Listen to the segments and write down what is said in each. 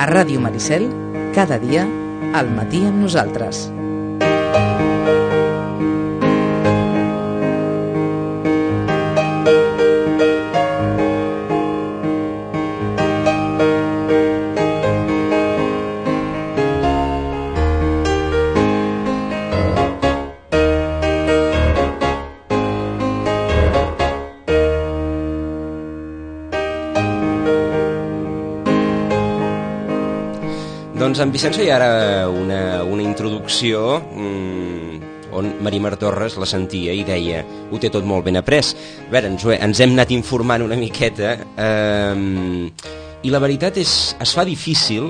A Ràdio Maricel, cada dia, al matí amb nosaltres. Doncs en Vicenç hi ha ara una introducció on Marimar Torres la sentia i deia ho té tot molt ben après. A veure, ens hem anat informant una miqueta i la veritat es fa difícil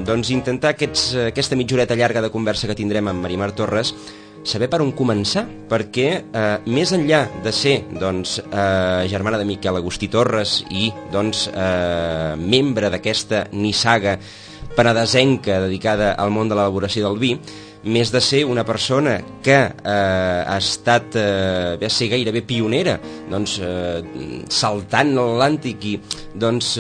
doncs intentar aquesta mitjoreta llarga de conversa que tindrem amb Marimar Torres saber per on començar, perquè més enllà de ser doncs, germana de Miquel Agustí Torres i doncs, membre d'aquesta nissaga penedesenca dedicada al món de l'elaboració del vi, més de ser una persona que ha estat va ser gairebé pionera, doncs, saltant l'Atlàntic i doncs,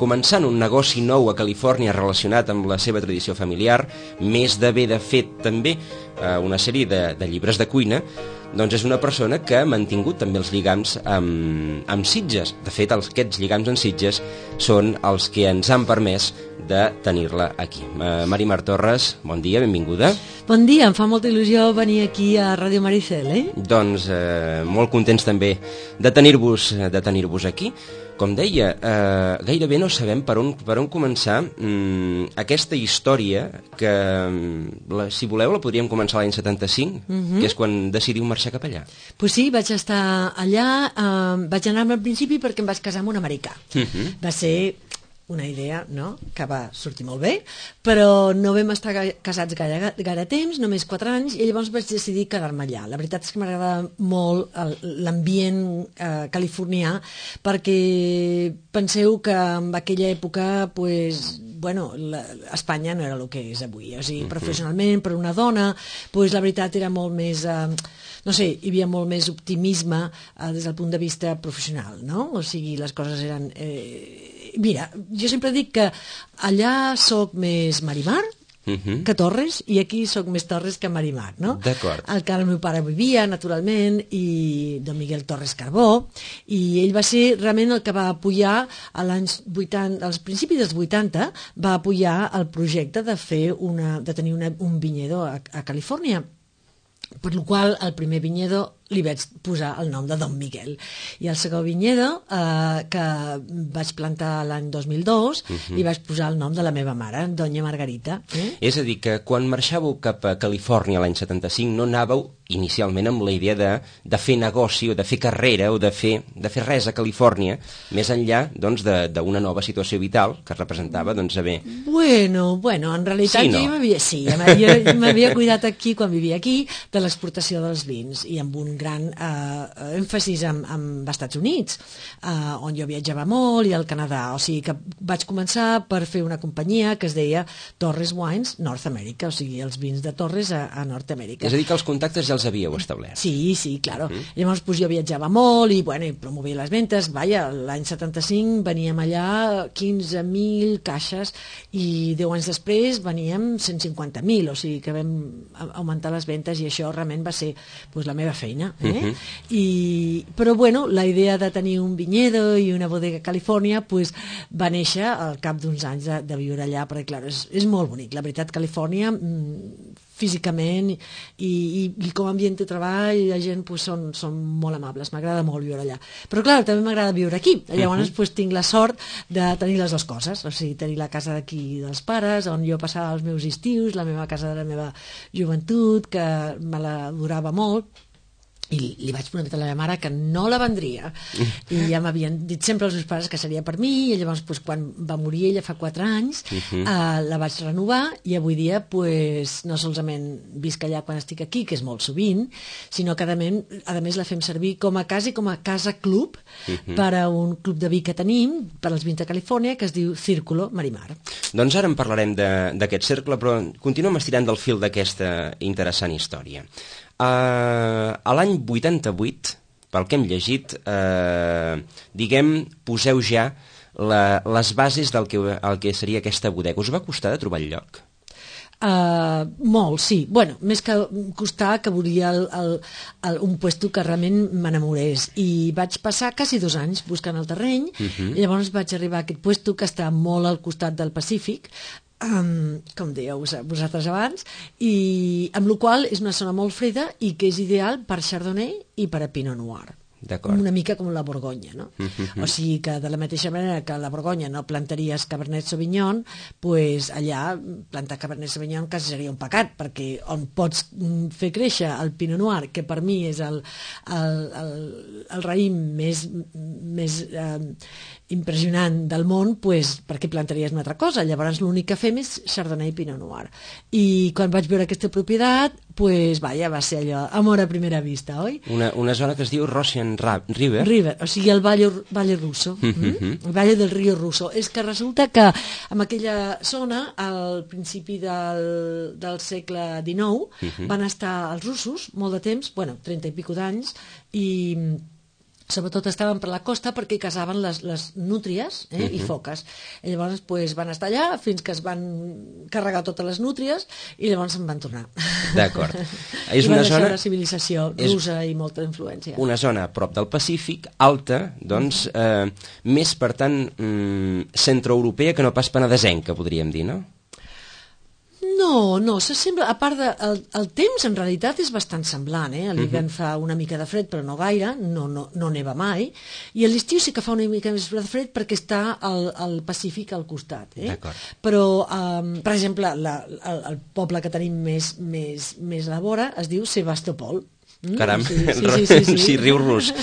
començant un negoci nou a Califòrnia relacionat amb la seva tradició familiar, més d'haver de fet també una sèrie de llibres de cuina, doncs és una persona que ha mantingut també els lligams amb Sitges. De fet, aquests lligams amb Sitges són els que ens han permès de tenir-la aquí. Marimar Torres, bon dia, benvinguda. Bon dia, em fa molta il·lusió venir aquí a Ràdio Maricel, Doncs molt contents també de tenir-vos aquí. Com deia, gairebé no sabem per on començar aquesta història que, si voleu, la podríem començar l'any 75, que és quan decidiu marxar cap allà. Pues sí, vaig estar allà, vaig anar al principi perquè em vaig casar amb un americà. Va ser una idea, no?, que va sortir molt bé, però no vam estar casats gaire temps, només 4 anys, i llavors vaig decidir quedar-me allà. La veritat és que m'agrada molt l'ambient californià, perquè penseu que en aquella època, pues, bueno, Espanya no era el que és avui, o sigui, professionalment, per una dona, pues, la veritat era molt més... no sé, hi havia molt més optimisme des del punt de vista professional, no? O sigui, les coses eren... Mira, jo sempre dic que allà soc més Marimar que Torres, i aquí soc més Torres que Marimar, no? D'acord. El meu pare vivia, naturalment, i don Miguel Torres Carbó, i ell va ser realment el que va apoyar als principis dels 80, va apoyar el projecte de tenir un viñedo a Califòrnia. Per la qual el primer viñedo li vaig posar el nom de Don Miguel. I el segon viñedo, que vaig plantar l'any 2002, li vaig posar el nom de la meva mare, Doña Margarita. És a dir, que quan marxàveu cap a Califòrnia l'any 75 no anàveu inicialment amb la idea de fer negoci o de fer carrera o de fer res a Califòrnia, més enllà doncs, d'una nova situació vital que representava doncs, haver... Bueno, en realitat sí, no? Jo m'havia cuidat aquí, quan vivia aquí, de l'exportació dels vins, i amb un gran èmfasis amb Estats Units, on jo viatjava molt, i al Canadà. O sigui que vaig començar per fer una companyia que es deia Torres Wines North America, o sigui, els vins de Torres a Nord Amèrica. És a dir, que els contactes ja els havíeu establert. Sí, claro. Llavors pues, jo viatjava molt i promovia les ventes. L'any 75 veníem allà 15.000 caixes i 10 anys després veníem 150.000, o sigui que vam augmentar les ventes, i això realment va ser pues, la meva feina. Però la idea de tenir un viñedo i una bodega a Califòrnia pues, va néixer al cap d'uns anys de viure allà, perquè clar, és molt bonic. La veritat, Califòrnia físicament i com a ambient de treball, la gent pues, són molt amables, m'agrada molt viure allà. Però clar, també m'agrada viure aquí. Llavors pues, tinc la sort de tenir les dues coses, o sigui, tenir la casa d'aquí dels pares, on jo passava els meus estius, la meva casa de la meva joventut, que me la durava molt, i li vaig prometre a la meva mare que no la vendria, i ja m'havien dit sempre els meus pares que seria per mi, i llavors pues, quan va morir ella fa 4 anys la vaig renovar, i avui dia pues, no solament visc allà quan estic aquí, que és molt sovint, sinó que a més la fem servir com a casa i com a casa club per a un club de vi que tenim per als vins de Califòrnia, que es diu Círculo Marimar. Doncs ara en parlarem d'aquest cercle, però continuem estirant del fil d'aquesta interessant història. A l'any 88, pel que hem llegit, poseu ja les bases del que seria aquesta bodega. Us va costar de trobar el lloc? Molt, sí. Bueno, més que costar que volia un puesto que realment m'enamorés, i vaig passar quasi 2 anys buscant el terreny, i llavors vaig arribar a aquest puesto que està molt al costat del Pacífic, com dèieu vosaltres abans, i amb la qual és una zona molt freda i que és ideal per Chardonnay i per a Pinot Noir. Una mica com la Borgonya, no? O sigui que de la mateixa manera que a la Borgonya no plantaries Cabernet Sauvignon, pues allà plantar Cabernet Sauvignon quasi seria un pecat, perquè on pots fer créixer el Pinot Noir, que per mi és el raïm més impressionant del món, pues, per què plantaries una altra cosa? Llavors l'únic que fem és Chardonnay i Pinot Noir. I quan vaig veure aquesta propietat, pues, vaja, va ser allò, amor a primera vista, oi? Una zona que es diu Russian River. O sigui, el Valle Russo, el Valle del Río Russo. És que resulta que en aquella zona, al principi del segle XIX, van estar els russos molt de temps, 30 i pico d'anys, i sobretot estaven per la costa perquè caçaven les nútries i foques. I llavors van estar allà fins que es van carregar totes les nútries i llavors se'n van tornar. D'acord. I van deixar la civilització russa i molta influència. Una zona a prop del Pacífic, alta, doncs, més, per tant, centroeuropea que no pas penedesenca, podríem dir, no? No, s'assembla, a part el temps en realitat és bastant semblant, a l'hivern fa una mica de fred però no gaire, no neva mai, i a l'estiu sí que fa una mica més de fred perquè està al Pacífic al costat, però per exemple el poble que tenim més a la vora es diu Sebastopol. Caram, sí, riu rus.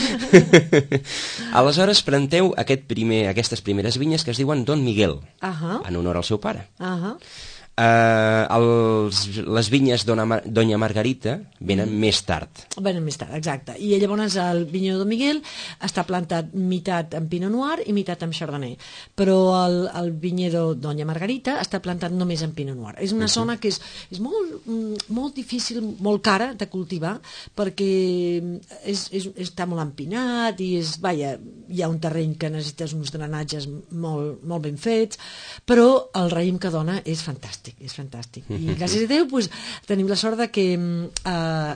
Aleshores planteu aquestes primeres vinyes que es diuen Don Miguel, en honor al seu pare. Les vinyes Doña Margarita venen més tard. Venen més tard, exacte. I llavors el vinyó Don Miguel està plantat meitat en Pinot Noir i meitat en Chardonnay. Però el vinyedo Doña Margarita està plantat només en Pinot Noir. És una zona que és molt difícil, molt cara de cultivar, perquè està molt empinat i hi ha un terreny que necessites uns drenatges molt ben fets, però el raïm que dona és fantàstic. I gràcies a Déu tenim la sort que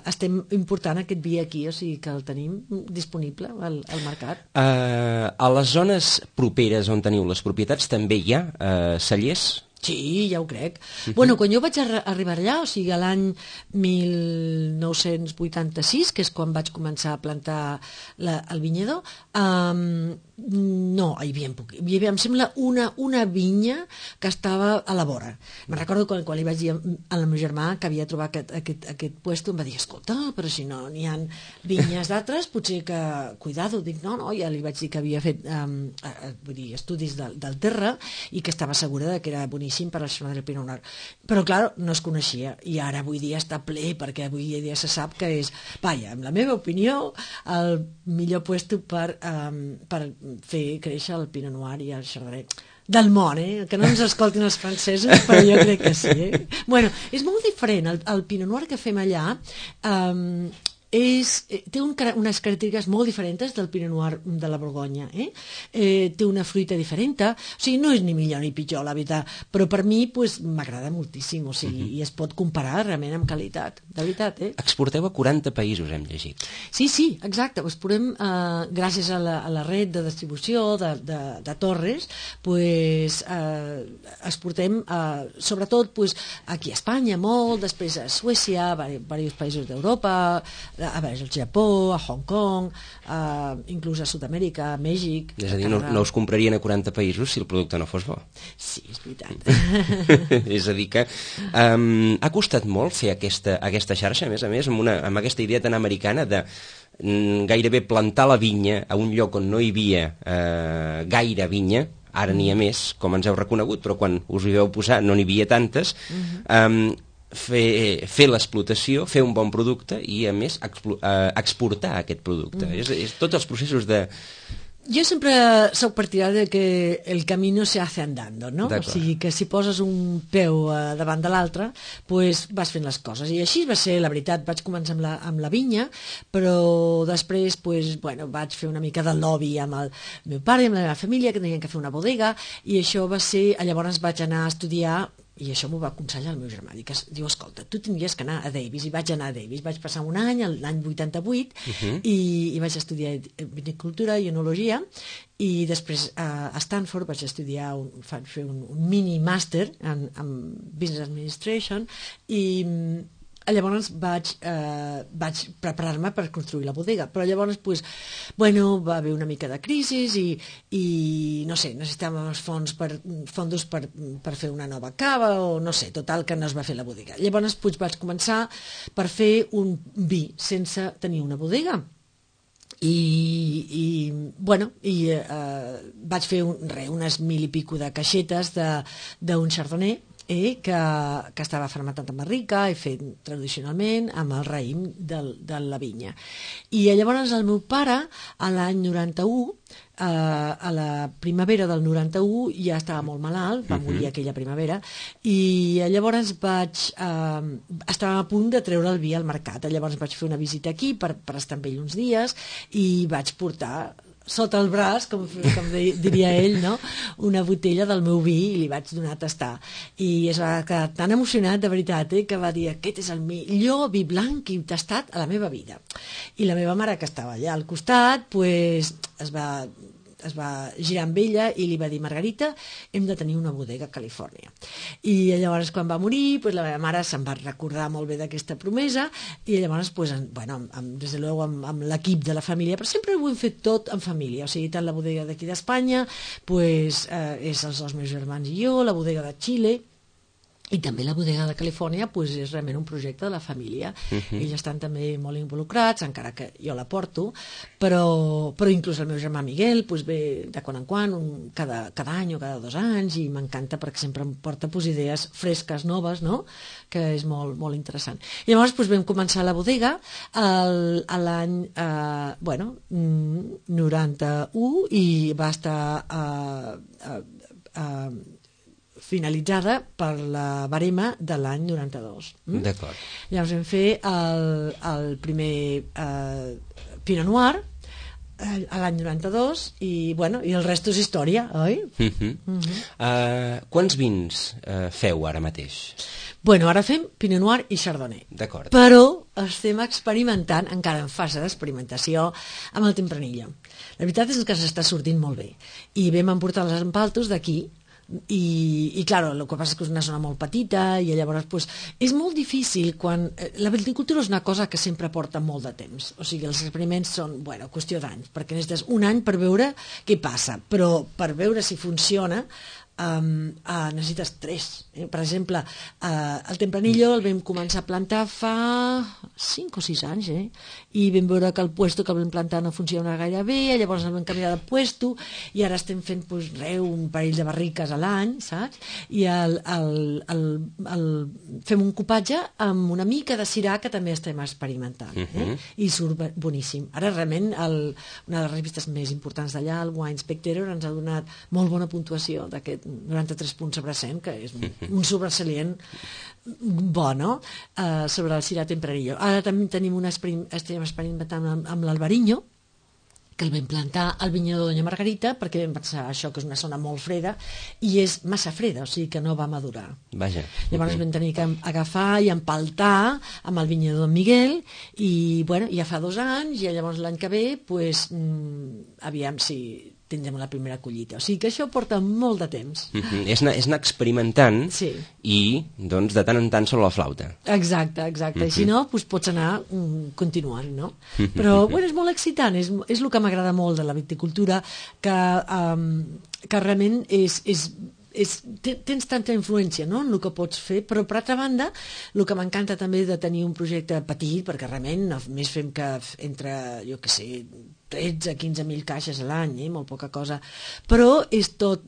estem important aquest vi aquí, o sigui que el tenim disponible al mercat. A les zones properes on teniu les propietats també hi ha cellers? Sí, ja ho crec. Quan jo vaig arribar allà, o sigui, l'any 1986, que és quan vaig començar a plantar el vinyedor, no, hi havia, em sembla, una vinya que estava a la vora. Me'n recordo quan li vaig dir al meu germà que havia trobat aquest puesto, em va dir, escolta, però si no n'hi ha vinyes d'altres, potser que, cuidado, dic, no, ja li vaig dir que havia fet estudis del terra i que estava segura que era boníssim per al Chardonnay del Pinot Noir. Però, clar, no es coneixia, i ara avui dia està ple, perquè avui dia se sap que és, en la meva opinió, el millor puesto per fer créixer el Pinot Noir i el Chardonnay del món, que no ens escoltin els francesos, però jo crec que sí. És molt diferent, el Pinot Noir que fem allà té unes característiques molt diferents del Pinot Noir de la Borgonya. Té una fruita diferent, o sigui, no és ni millor ni pitjor, la veritat, però per mi m'agrada moltíssim, o sigui, i es pot comparar realment amb qualitat, de veritat. Exporteu a 40 països, hem llegit. Sí, exacte, exportem, gràcies a la red de distribució de Torres, exportem sobretot aquí a Espanya molt, després a Suècia, a diversos països d'Europa, al Japó, a Hong Kong, inclús a Sud-amèrica, a Mèxic... És a dir, no us comprarien a 40 països si el producte no fos bo. Sí, és veritat. És a dir que ha costat molt fer aquesta xarxa, a més, amb aquesta idea tan americana de gairebé plantar la vinya a un lloc on no hi havia gaire vinya. Ara n'hi ha més, com ens heu reconegut, però quan us hi vau posar no n'hi havia tantes. Fer l'explotació, fer un bon producte i, a més, exportar aquest producte. Tots els processos de Jo sempre soc partidari que el camino se hace andando, no? O sigui que si poses un peu davant de l'altre, pues vas fent les coses. I així va ser, la veritat, vaig començar amb la vinya, però després pues, bueno, vaig fer una mica de lobby amb el meu pare i amb la meva família, que tenien que fer una bodega, i això va ser, llavors vaig anar a estudiar, i això m'ho va aconsellar el meu germà, diu, escolta, tu tindries que anar a Davis, i vaig anar a Davis, vaig passar un any, l'any 88, i vaig estudiar vinicultura i enologia, i després a Stanford vaig estudiar, fer un mini màster en Business Administration, i llavors vaig preparar-me per construir la bodega, però llavors pues, bueno, va haver una mica de crisi i no sé, necessitàvem els fondos per fer una nova cava o no sé, total que no es va fer la bodega. Llavors pues, vaig començar per fer un vi sense tenir una bodega. Vaig fer unes 1000 i pico de caixetes d'un chardonnay que estava fermentat amb barrica i fet tradicionalment amb el raïm de la vinya. I llavors el meu pare, a l'any 91, a la primavera del 91, ja estava molt malalt, va morir aquella primavera, i llavors estava a punt de treure el vi al mercat. Llavors vaig fer una visita aquí per estar amb ell uns dies i vaig portar sota el braç, com diria ell, no? Una botella del meu vi i li vaig donar a tastar. I es va quedar tan emocionat, de veritat, que va dir, aquest és el millor vi blanc que he tastat a la meva vida. I la meva mare, que estava allà al costat, pues, es va girar amb ella i li va dir, Margarita, hem de tenir una bodega a Califòrnia. I llavors quan va morir, pues, la meva mare se'n va recordar molt bé d'aquesta promesa i llavors, pues, bueno, des de luego amb l'equip de la família, però sempre ho hem fet tot en família, o sigui, tant la bodega d'aquí d'Espanya, pues, és els dos meus germans i jo, la bodega de Xile, i també la bodega de Califòrnia pues, és realment un projecte de la família. Ells estan també molt involucrats, encara que jo la porto, però inclús el meu germà Miguel pues, ve de quan en quan, cada any o cada 2 anys, i m'encanta perquè sempre em porta pues, idees fresques, noves, no? Que és molt, molt interessant. I llavors pues, vam començar la bodega a l'any 91 i va estar finalitzada per la barema de l'any 92. D'acord. Llavors vam fer el primer Pinot Noir a l'any 92 i el resto és història, oi? Quants vins feu ara mateix? Ara fem Pinot Noir i Chardonnay. D'acord. Però estem experimentant, encara en fase d'experimentació, amb el Tempranillo. La veritat és que s'està sortint molt bé. I vam emportar les empaltos d'aquí, i claro, el que passa és que és una zona molt petita i llavors pues, és molt difícil quan... La viticultura és una cosa que sempre porta molt de temps, o sigui, els experiments són, qüestió d'anys, perquè necessites un any per veure què passa, però per veure si funciona necessites 3. Per exemple, el Tempranillo el vam començar a plantar fa 5 o 6 anys, i vam veure que el puesto que vam plantar no funciona gaire bé, llavors el vam canviar de puesto i ara estem fent un parell de barriques a l'any, saps? I fem un copatge amb una mica de sirà que també estem experimentant, i surt boníssim. Ara realment una de les revistes més importants d'allà, el Wine Spectator, ens ha donat molt bona puntuació d'aquest 93 punts sobre 100, que és un sobresalient bo, no? Sobre el Syrah Tempranillo. Ara també estem experimentant amb l'Albariño, que el vam plantar al vinyedo de Doña Margarita, perquè vam pensar això que és una zona molt freda, i és massa freda, o sigui que no va madurar. Vaja. Llavors vam tenir que agafar i empaltar amb el vinyedo de Miguel, i ja fa 2 anys, i llavors l'any que ve, aviam si tindrem la primera collita. O sigui que això porta molt de temps. És anar experimentant, sí. I doncs de tant en tant sobre la flauta. Exacte. I si no, pots anar continuant, no? Però és molt excitant, és el que m'agrada molt de la viticultura, que realment és tens tanta influència, no?, en el que pots fer, però per altra banda, el que m'encanta també de tenir un projecte petit, perquè realment només fem que entre, jo què sé, 13 a 15.000 caixes a l'any, molt poca cosa, però és tot...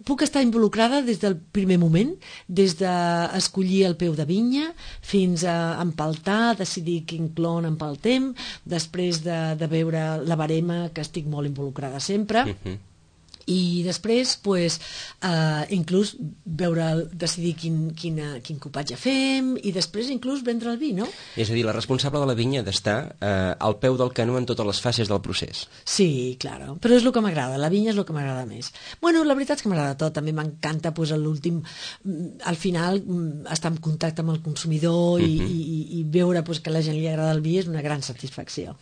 puc estar involucrada des del primer moment, des d'escollir el peu de vinya fins a empaltar, decidir quin clon empaltem, després de veure la barema, que estic molt involucrada sempre, i després pues, inclús decidir quin copatge fem i després inclús vendre el vi, no? És a dir, la responsable de la vinya ha d'estar al peu del canó en totes les fases del procés. Sí, claro, però és el que m'agrada, la vinya és el que m'agrada més. Bueno, la veritat és que m'agrada tot, també m'encanta pues, al final estar en contacte amb el consumidor i veure pues, que a la gent li agrada el vi és una gran satisfacció.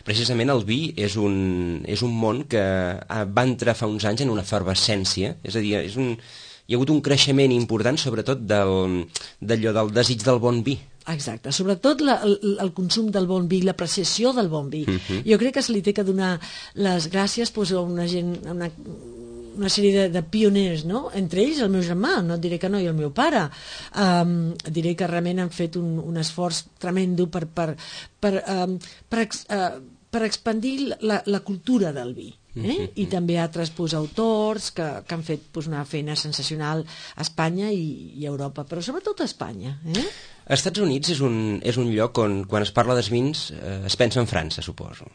Precisament el vi és un món que va entrar fa uns anys en una efervescència, és a dir, hi ha hagut un creixement important, sobretot del desig del bon vi. Exacte, sobretot el consum del bon vi, l'apreciació del bon vi. Jo crec que se li té que donar les gràcies pues, a una gent, una sèrie de pioners, no? Entre ells el meu germà, no et diré que no, i el meu pare. Diré que realment han fet un esforç tremendo per expandir la cultura del vi. I també altres autors que han fet una feina sensacional a Espanya i a Europa, però sobretot a Espanya. Als Estats Units és un lloc on, quan es parla dels vins, es pensa en França, suposo.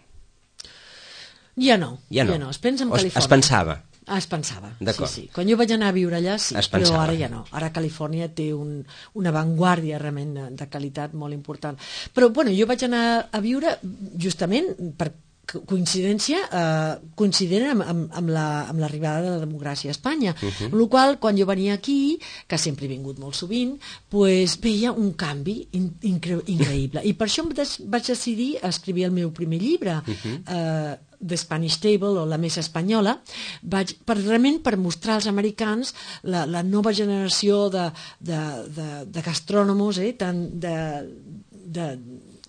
Ja no. Es pensa en Califòrnia. Es pensava. Es pensava, sí. Quan jo vaig anar a viure allà, sí, però ara ja no. Ara Califòrnia té una avantguàrdia realment de qualitat molt important. Però, bueno, jo vaig anar a viure justament per coincidència, coincident amb l'arribada de la democràcia a Espanya, amb la qual quan jo venia aquí, que sempre he vingut molt sovint, pues, veia un canvi increïble, i per això vaig decidir escriure el meu primer llibre, The Spanish Table, o la mesa espanyola, realment per mostrar als americans la nova generació de gastrònomos, tant de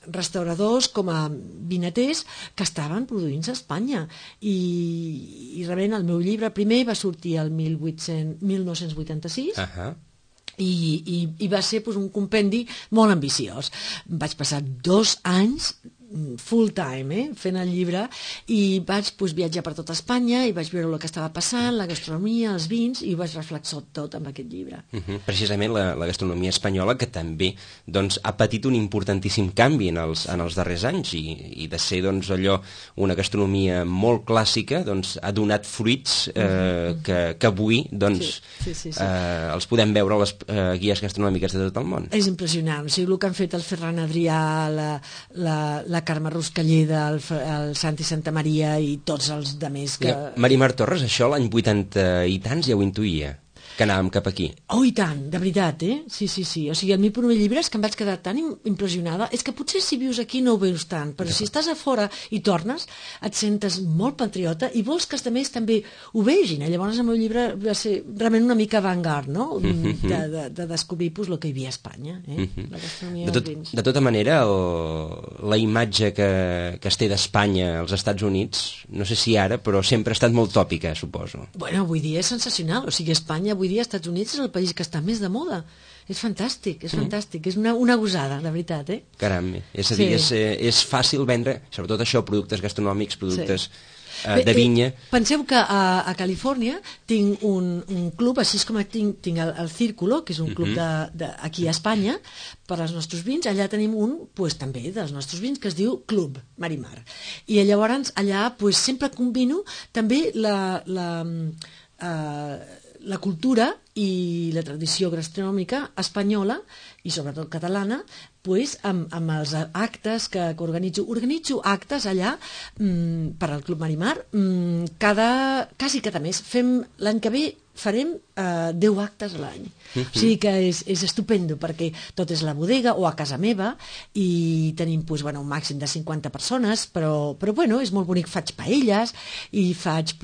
restauradors com a vinaters que estaven produint-se a Espanya, i realment el meu llibre primer va sortir el 1986 i va ser un compendi molt ambiciós. Vaig passar 2 anys full time fent el llibre, i vaig viatjar per tota Espanya i vaig veure el que estava passant, la gastronomia, els vins, i ho vaig reflexar tot amb aquest llibre. Precisament la gastronomia espanyola, que també ha patit un importantíssim canvi en els darrers anys, i de ser allò una gastronomia molt clàssica, ha donat fruits que avui els podem veure a les guies gastronòmiques de tot el món. És impressionant, el que han fet el Ferran Adrià, la Carme Ruscalleda, el Santi Santamaria i tots els demés que... Marimar Torres, això l'any 80 i tants ja ho intuïa, que anàvem cap aquí. Oh, i tant, de veritat, Sí. O sigui, el meu primer llibre és que em vaig quedar tan impressionada. És que potser si vius aquí no ho veus tant, però si estàs a fora i tornes, et sentes molt patriota i vols que els altres també ho vegin. Llavors el meu llibre va ser realment una mica avant-garde, no? De descobrir el que hi havia a Espanya, la gastronomia dels vins. De tota manera, la imatge que es té d'Espanya als Estats Units, no sé si ara, però sempre ha estat molt tòpica, suposo. Bueno, avui dia és sensacional. O sigui, Espanya avui dia, als Estats Units, és el país que està més de moda. És fantàstic, és fantàstic. És una gosada, de veritat, Caram, és a dir, és fàcil vendre, sobretot això, productes gastronòmics, productes de vinya. Penseu que a Califòrnia tinc un club, així com tinc el Círculo, que és un club aquí a Espanya, per als nostres vins. Allà tenim un, també, dels nostres vins, que es diu Club Marimar. I llavors allà sempre combino també la cultura i la tradició gastronòmica espanyola i sobretot catalana amb els actes que organitzo. Organitzo actes allà per al Club Marimar quasi cada mes. L'any que ve farem 10 actes a l'any. O sigui que és estupendo, perquè tot és la bodega o a casa meva, i tenim un màxim de 50 persones, però bueno, és molt bonic. Faig paelles i faig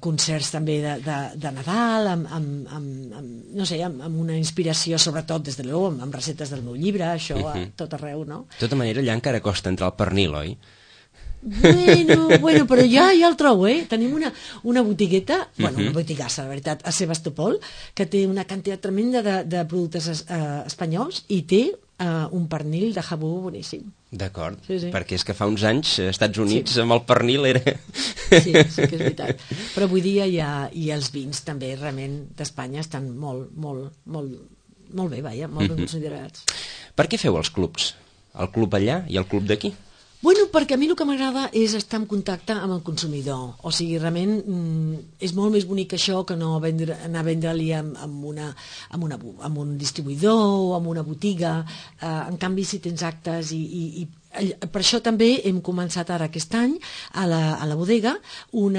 concerts també de Nadal, amb una inspiració, sobretot, des de l'ou, amb receptes del meu llibre, això a tot arreu, no? De tota manera, allà encara costa entrar al pernil, oi? Bueno, però ja el trobo, Tenim una botigueta, una botigassa, la veritat, a Sebastopol, que té una quantitat tremenda de productes espanyols i té un pernil de jabú boníssim. D'acord, sí. perquè és que fa uns anys als Estats Units amb el pernil era... Sí que és veritat. Però avui dia i els vins també realment d'Espanya estan molt bé, molt ben considerats. Per què feu els clubs? El club allà i el club d'aquí? Perquè a mi el que m'agrada és estar en contacte amb el consumidor. O sigui, realment és molt més bonic això que no anar a vendre-li amb un distribuïdor o amb una botiga. En canvi, si tens actes i per això també hem començat ara aquest any a la bodega un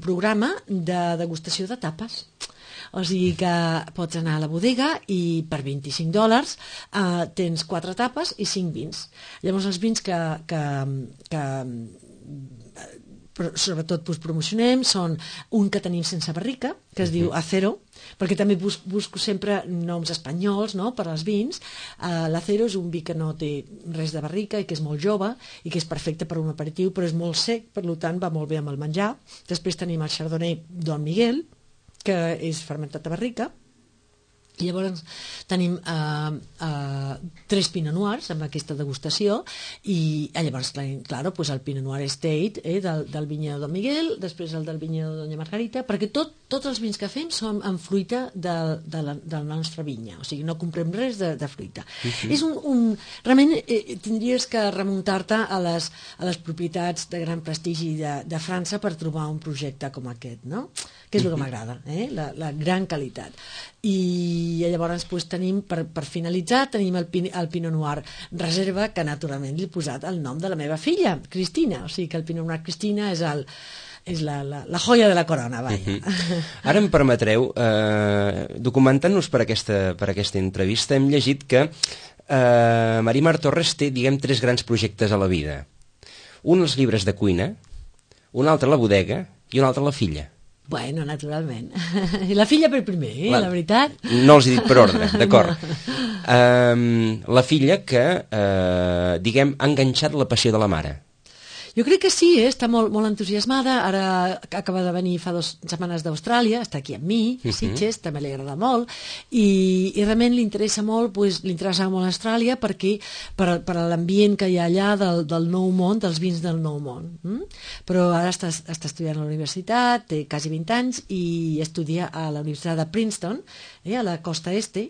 programa de degustació de tapes. O sigui que pots anar a la bodega i per $25 tens 4 tapes i 5 vins. Llavors els vins que sobretot promocionem són un que tenim sense barrica, que es diu Acero, perquè també busco sempre noms espanyols, no?, per als vins. L'Acero és un vi que no té res de barrica i que és molt jove i que és perfecte per un aperitiu, però és molt sec, per tant va molt bé amb el menjar. Després tenim el Chardonnay Don Miguel, que és fermentat a barrica, i llavors tenim 3 Pinot Noirs amb aquesta degustació, i llavors, clar, el Pinot Noir Estate del vinyedo Don Miguel, després el del vinyedo Doña Margarita, perquè tots els vins que fem són amb fruita de la nostra vinya, o sigui, no comprem res de fruita. És realment tindries que remuntar-te a les propietats de gran prestigi de França per trobar un projecte com aquest, no?, que és el que m'agrada, la gran qualitat. I llavors tenim, per finalitzar, tenim el Pinot Noir Reserva, que naturalment li he posat el nom de la meva filla, Cristina, o sigui que el Pinot Noir Cristina és la joia de la corona, vaja. Ara em permetreu, documentant-nos per aquesta entrevista, hem llegit que Marimar Torres té, 3 grans projectes a la vida. Un els llibres de cuina, un altre la bodega i un altre la filla. Bueno, naturalment. La filla per primer, la veritat. No els he dit per ordre, d'acord. La filla que, ha enganxat la passió de la mare. Jo crec que sí, està molt entusiasmada. Ara acaba de venir fa 2 setmanes d'Austràlia, està aquí amb mi, a Sitges, també li agrada molt, i realment li interessa molt Austràlia perquè per l'ambient que hi ha allà del nou món, dels vins del nou món. Però ara està estudiant a la universitat, té quasi 20 anys, i estudia a la Universitat de Princeton, a la costa este,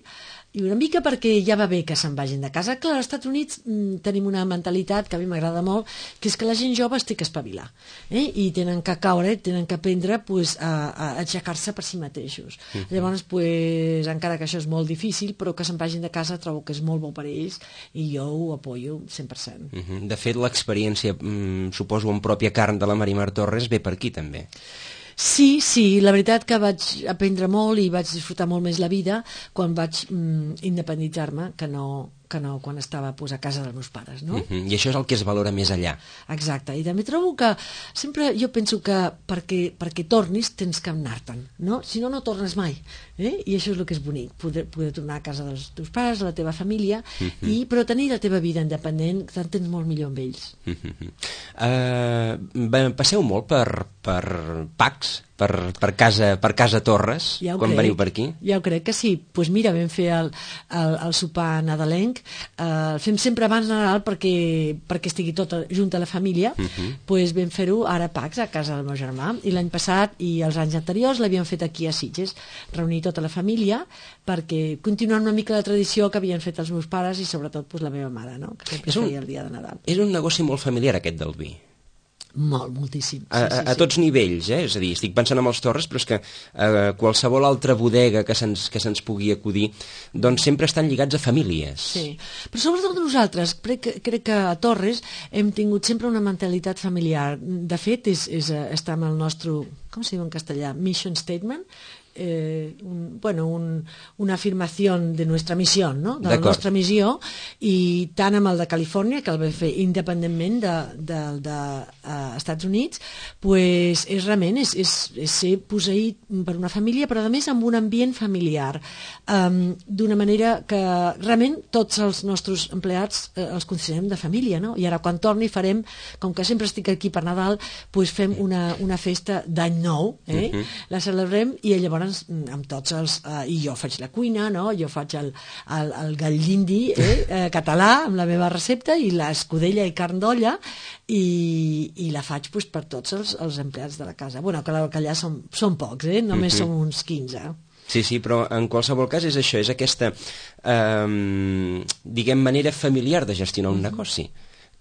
i una mica perquè ja va bé que se'n vagin de casa. Clar, als Estats Units tenim una mentalitat que a mi m'agrada molt, que és que la gent jove es té que espavilar, i tenen que caure, tenen que aprendre a aixecar-se per si mateixos. Llavors, encara que això és molt difícil, però que se'n vagin de casa trobo que és molt bo per ells, i jo ho apoyo 100%. De fet, l'experiència, suposo, en pròpia carn de la Marimar Torres ve per aquí, també. Sí, la veritat que vaig aprendre molt i vaig disfrutar molt més la vida quan vaig independitzar-me que no quan estava a casa dels meus pares, no? I això és el que es valora més allà. Exacte, i també trobo que sempre jo penso que perquè tornis tens que anar-te'n, no? Si no, no tornes mai, i això és el que és bonic, poder tornar a casa dels teus pares, a la teva família, però tenir la teva vida independent, t'entens molt millor amb ells. Passeu molt per PACs, per casa Torres, quan veniu per aquí? Ja ho crec que sí. Doncs mira, vam fer el sopar nadalenc, el fem sempre abans de Nadal perquè estigui tot junt a la família, doncs vam fer-ho ara a PACs, a casa del meu germà, i l'any passat i els anys anteriors l'havíem fet aquí a Sitges, reunir tota la família perquè continuar una mica la tradició que havien fet els meus pares i sobretot la meva mare, no?, que sempre feia el dia de Nadal. És un negoci molt familiar aquest del vi. Moltíssim. A tots nivells, és a dir, estic pensant en els Torres, però és que qualsevol altra bodega que se'ns pugui acudir, doncs sempre estan lligats a famílies. Sí, però sobretot nosaltres, crec que a Torres hem tingut sempre una mentalitat familiar. De fet, està amb el nostre, com se diu en castellà, mission statement, una afirmació de nostra missió, no? De la nostra missió, i tant amb el de Califòrnia, que el vam fer independentment dels Estats Units, pues, és realment ser posseït per una família, però a més amb un ambient familiar, d'una manera que realment tots els nostres empleats els considerem de família, no? I ara quan torni farem, com que sempre estic aquí per Nadal, pues fem una festa d'any nou, la celebrem, i llavors amb tots els... i jo faig la cuina, no? Jo faig el gall d'indi català amb la meva recepta, i l'escudella i carn d'olla, i la faig pues, per tots els empleats de la casa. Bueno, clar que allà són pocs, només som uns 15. Sí, però en qualsevol cas és això, és aquesta, diguem, manera familiar de gestionar un negoci,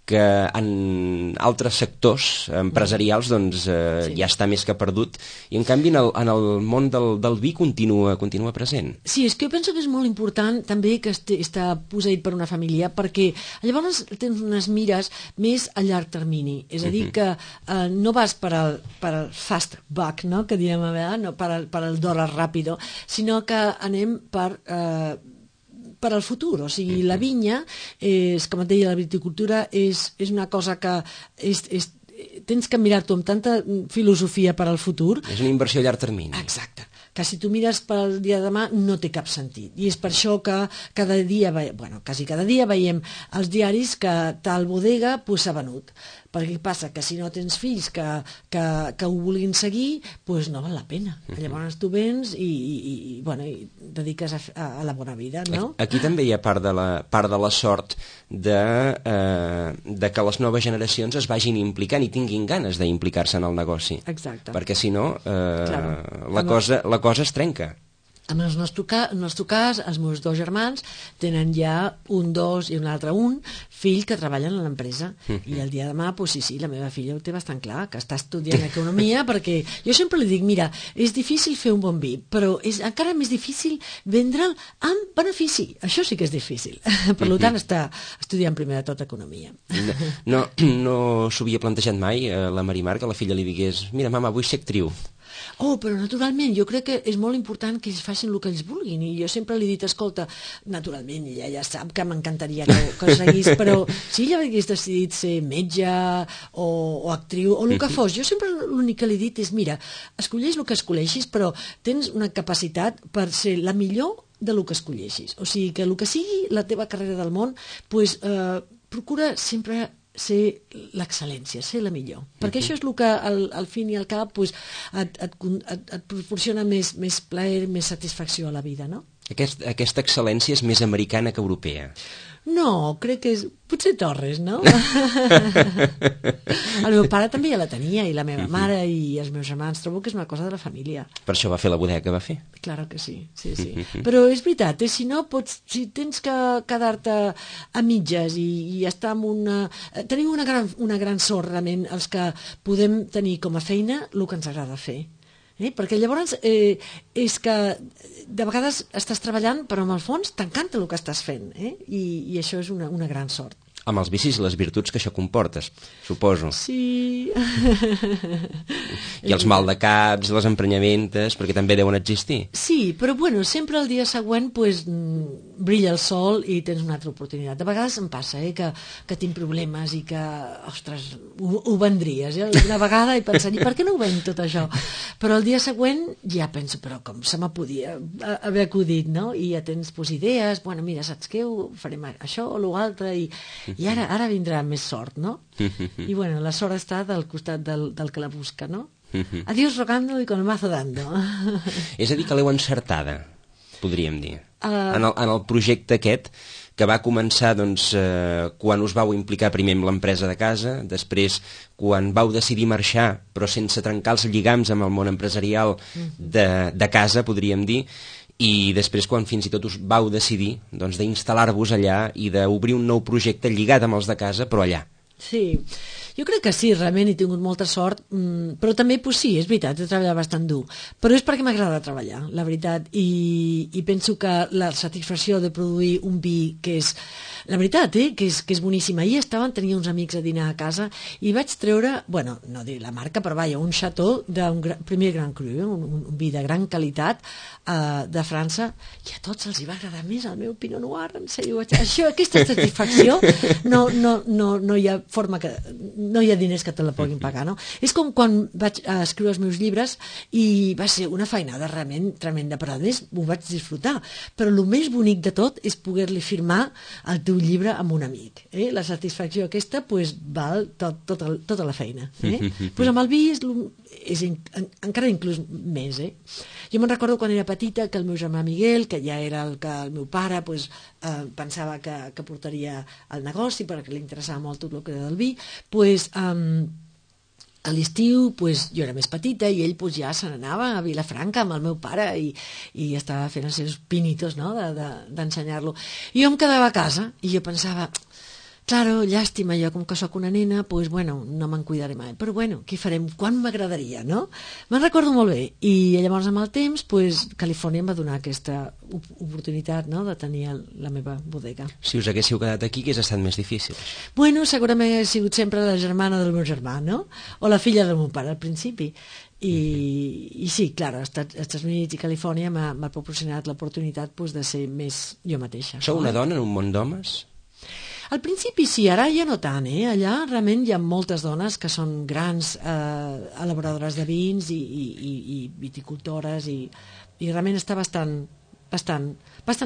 que en altres sectors empresarials doncs, ja està més que perdut, i en canvi en el món del vi continua present. Sí, és que jo penso que és molt important també que està posseït per una família, perquè llavors tens unes mires més a llarg termini, és a dir, que no vas per al fast buck, no? Que diem a vegades, no per al dòlar ràpido, sinó que anem per al futur, o sigui, la vinya és, com et deia, la viticultura és una cosa que tens que mirar-t'ho amb tanta filosofia per al futur. És una inversió a llarg termini. Exacte. Que si tu mires pel dia de demà no té cap sentit. I és per això que cada dia, quasi cada dia veiem als diaris que tal bodega s'ha venut. Perquè passa que si no tens fills que ho vulguin seguir, doncs no val la pena. Llavors tu vens i dediques a la bona vida, no? Aquí també hi ha part de la sort de que les noves generacions es vagin implicant i tinguin ganes d'implicar-se en el negoci. Exacte. Perquè si no, la cosa es trenca. En el nostre cas, els meus dos germans tenen ja un, dos i un altre un fill que treballen a l'empresa. I el dia de demà, doncs sí, la meva filla ho té bastant clar, que està estudiant economia, perquè jo sempre li dic, mira, és difícil fer un bon vi, però és encara més difícil vendre'l amb benefici. Això sí que és difícil. Per tant, està estudiant primer de tot economia. No s'ho havia plantejat mai, la Marimar, que la filla li digués, mira, mama, vull ser actriu. Però naturalment, jo crec que és molt important que ells facin el que ells vulguin, i jo sempre li he dit, escolta, naturalment, ella ja sap que m'encantaria que seguís, però si ella hagués decidit ser metge o actriu o el que fos, jo sempre l'únic que li he dit és, mira, escolleix el que escolleixis, però tens una capacitat per ser la millor de lo que escolleixis. O sigui, que el que sigui la teva carrera del món, doncs procura sempre ser l'excel·lència, ser la millor. Perquè això és el que al fin i al cap et proporciona més plaer, més satisfacció a la vida, no? Aquesta excel·lència és més americana que europea. No, crec que és... Potser Torres, no? El meu pare també ja la tenia, i la meva mare i els meus germans. Trobo que és una cosa de la família. Per això va fer la bodega que va fer. Claro que sí, sí. Però és veritat, si no si tens que quedar-te a mitges i estar amb una... Tenim una gran sort, realment, els que podem tenir com a feina el que ens agrada fer. Perquè llavors és que de vegades estàs treballant però en el fons t'encanta el que estàs fent, i això és una gran sort. Amb els vicis i les virtuts que això comportes, suposo. Sí. I els maldecaps, les emprenyamentes, perquè també deuen existir. Sí, però sempre el dia següent brilla el sol i tens una altra oportunitat. De vegades em passa que tinc problemes i que, ostres, ho vendries. Una vegada he pensat, i per què no ho vend tot això? Però el dia següent ja penso, però com se me podia haver acudit, no? I ja tens idees, mira, saps què? Farem això o l'altre, i ara vindrà més sort, no? I la sort està del costat del que la busca, no? Adiós rogando y con el mazo dando. És a dir, que l'heu encertada, podríem dir. En el projecte aquest, que va començar quan us vau implicar primer amb l'empresa de casa, després quan vau decidir marxar, però sense trencar els lligams amb el món empresarial de casa, podríem dir, i després quan fins i tot us vau decidir d'instal·lar-vos allà i d'obrir un nou projecte lligat amb els de casa, però allà. Sí, Jo crec que sí, realment he tingut molta sort, però també, pues sí, és veritat, he treballat bastant dur, però és perquè m'agrada treballar, la veritat, i penso que la satisfacció de produir un vi que és, la veritat, que és boníssima. Ahir tenia uns amics a dinar a casa i vaig treure, bueno, no dir la marca, però vaja, un Chateau d'un primer Grand Cru, un vi de gran qualitat de França, i a tots els hi va agradar més el meu Pinot Noir, en sèrio, aquesta satisfacció no hi ha forma que, no hi ha diners que te la puguin pagar, no? És com quan vaig escriure els meus llibres i va ser una feinada realment tremenda, però a més ho vaig disfrutar, però el més bonic de tot és poder-li firmar el teu llibre amb un amic, la satisfacció aquesta pues, val tota la feina, pues amb el vi és encara inclús més, Jo me'n recordo quan era petita que el meu germà Miguel, que ja era el que el meu pare pues, pensava que portaria al negoci perquè li interessava molt tot el que era del vi, pues, a l'estiu pues, jo era més petita i ell pues, ja se n'anava a Vilafranca amb el meu pare i estava fent els seus pinitos, no?, d'ensenyar-lo. I jo em quedava a casa i jo pensava, claro, llàstima, jo com que sóc una nena, pues, bueno, no me'n cuidaré mai, però bueno, què farem? Quan m'agradaria, no? Me'n recordo molt bé, i llavors amb el temps, pues, Califòrnia em va donar aquesta oportunitat, no?, de tenir la meva bodega. Si us haguéssiu quedat aquí, què hagués estat més difícil? Bueno, segurament he sigut sempre la germana del meu germà, no? O la filla del meu pare, al principi. I sí, clar, als Estats Units i Califòrnia m'ha proporcionat l'oportunitat pues, de ser més jo mateixa. Sou una dona en un món d'homes? Al principi sí, ara ja no tant, Allà realment hi ha moltes dones que són grans elaboradores de vins i viticultores i realment està bastant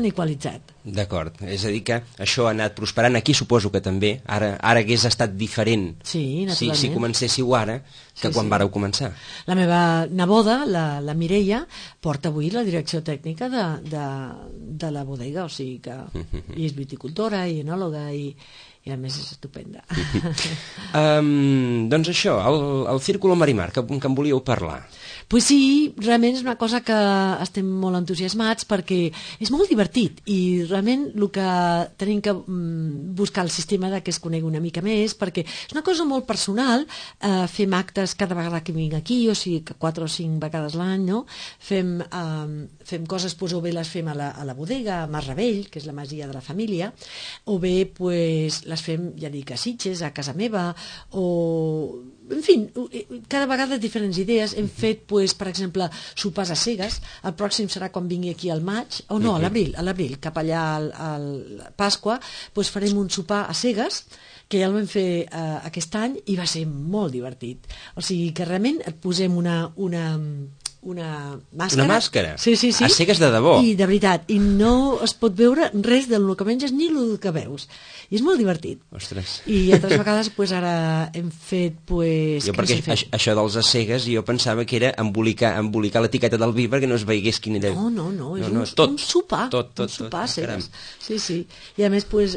igualitzat. D'acord, és a dir que això ha anat prosperant. Aquí suposo que també, ara hagués estat diferent sí, naturalment. Si comencéssiu ara que quan vareu començar. La meva neboda, la Mireia, porta avui la direcció tècnica de la bodega, o sigui que i és viticultora i enòloga i a més és estupenda. Doncs això, el Círculo Marimar, que em volíeu parlar. Pues sí, realment és una cosa que estem molt entusiasmats perquè és molt divertit i realment el que tenim que buscar el sistema de que es conegui una mica més, perquè és una cosa molt personal, fem actes cada vegada que vinc aquí, o sigui que 4 o 5 vegades l'any, no? Fem coses, pues, o bé les fem a la bodega, a Mas Ravell, que és la masia de la família, o bé pues, les fem, ja dic, a Sitges, a casa meva, o... En fi, cada vegada diferents idees. Hem fet, pues, per exemple, sopars a cegues. El pròxim serà quan vingui aquí al maig, o no, a l'abril, cap allà al Pasqua, pues farem un sopar a cegues, que ja el vam fer aquest any i va ser molt divertit. O sigui que realment et posem una màscara. Una màscara? Sí. A cegues de debò? I de veritat, i no es pot veure res del que menges ni el que veus. I és molt divertit. Ostres. I altres vegades, pues, ara hem fet, pues... Jo, perquè això dels a cegues, jo pensava que era embolicar l'etiqueta del vi perquè no es veiés quin era... No, és un sopar. Un sopar a cegues. Sí. I a més, pues,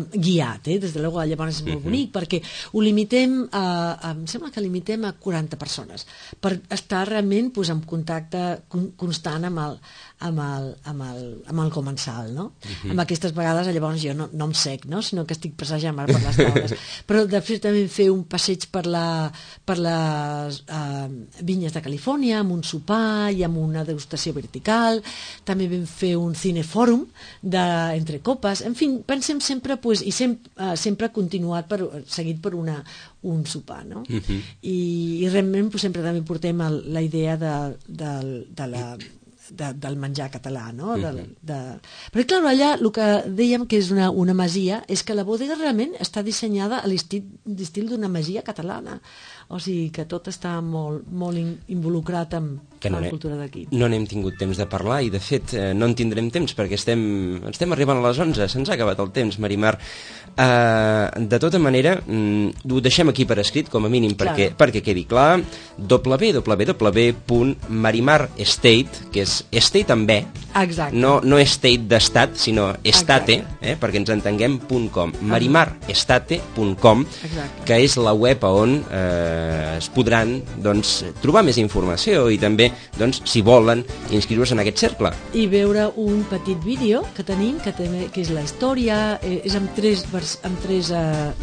guiat, des de luego, llavors és molt bonic, perquè ho limitem em sembla que limitem a 40 persones, per estar realment pues, en contacte constant amb el comensal, no? Amb aquestes vegades llavors jo no em sec, no? Sinó que estic passejant per les taules. Però de fet també fer un passeig per les vinyes de Califòrnia amb un sopar i amb una degustació vertical. També vam fer un cinefòrum entre copes. En fi, pensem sempre pues, i sempre continuat seguit per un sopar, no? I realment pues, sempre també portem la idea del menjar català, no? Però clar, allà el que dèiem que és una masia és que la bodega realment està dissenyada a l'estil d'una masia catalana, o sigui que tot està molt involucrat amb la cultura d'aquí. No n'hem tingut temps de parlar i de fet no en tindrem temps perquè estem arribant a les 11, se'ns ha acabat el temps, Marimar. De tota manera ho deixem aquí per escrit com a mínim perquè quedi clar. www.marimarestate, que és estate amb E, no estate d'estat sinó estate, perquè ens entenguem.com, marimarestate.com, que és la web on es podran trobar més informació i també també, doncs, si volen inscriure-se en aquest cercle. I veure un petit vídeo que tenim, que és la història, és amb tres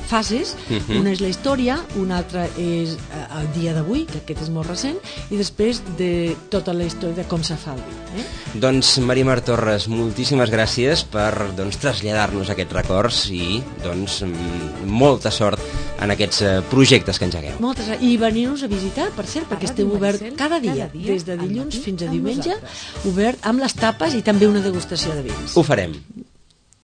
fases. Una és la història, una altra és el dia d'avui, que aquest és molt recent, i després de tota la història de com se fa el vi. Doncs, Maria Torres, moltíssimes gràcies per traslladar-nos aquests records i molta sort en aquests projectes que engegueu. Moltes gràcies. I venir-nos a visitar, per cert, perquè esteu obert cada dia, des de dilluns fins a diumenge, obert amb les tapes i també una degustació de vins. Ho farem.